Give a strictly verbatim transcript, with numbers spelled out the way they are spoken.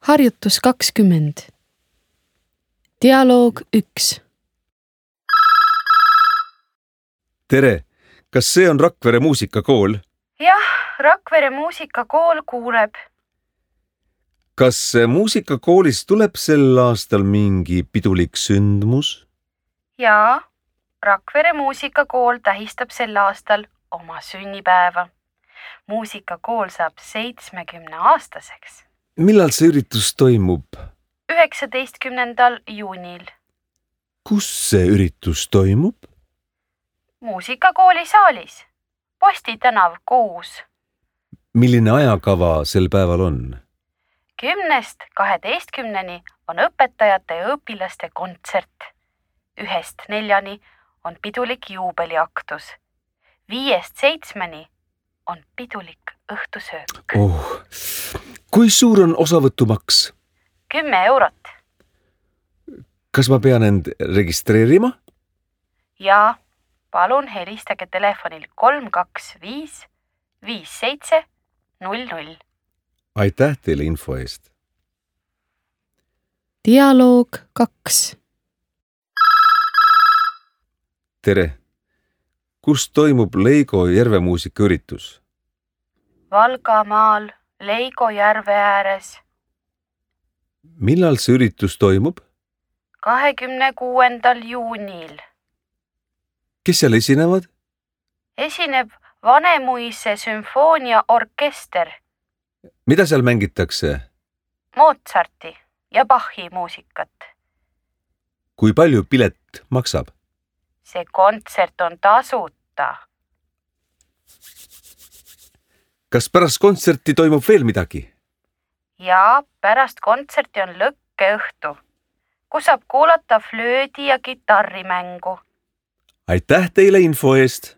Harjutus kakskümmend. Dialoog üks. Tere, kas see on Rakvere muusikakool? Jah, Rakvere muusikakool kuuleb. Kas muusikakoolis tuleb sel aastal mingi pidulik sündmus? Jaa, Rakvere muusikakool tähistab sel aastal oma sünnipäeva. Muusikakool saab seitsmekümne aastaseks. Millal see üritus toimub? üheksateistkümnendal juunil. Kus see üritus toimub? Muusikakooli saalis. Posti tänav kuus. Milline ajakava sel päeval on? Kümnest kaheteistkümneni on õpetajate ja õpilaste kontsert. Ühest neljani on pidulik juubeliaktus. Viiest seitsmeni on pidulik õhtusöök. Oh, kui suur on osavõtumaks? Kümme eurot. Kas ma pean end registreerima? Ja palun helistage telefonil kolm kaks viis viis seitse null null. Aitäh teile info eest. Dialoog kaks. Tere, kus toimub Leigo järvemuusika üritus? Valgamaal, Leigo järve ääres. Millal see üritus toimub? kahekümne kuuendal juunil. Kes seal esinevad? Esineb Vanemuise sümfooniaorkester, Mida seal mängitakse? Mozarti ja Bachi muusikat. Kui palju pilet maksab? See kontsert on tasuta. Kas pärast kontserti toimub veel midagi? Ja pärast kontserti on lõkkeõhtu, kus saab kuulata flöödi ja kitarrimängu. Aitäh teile info eest!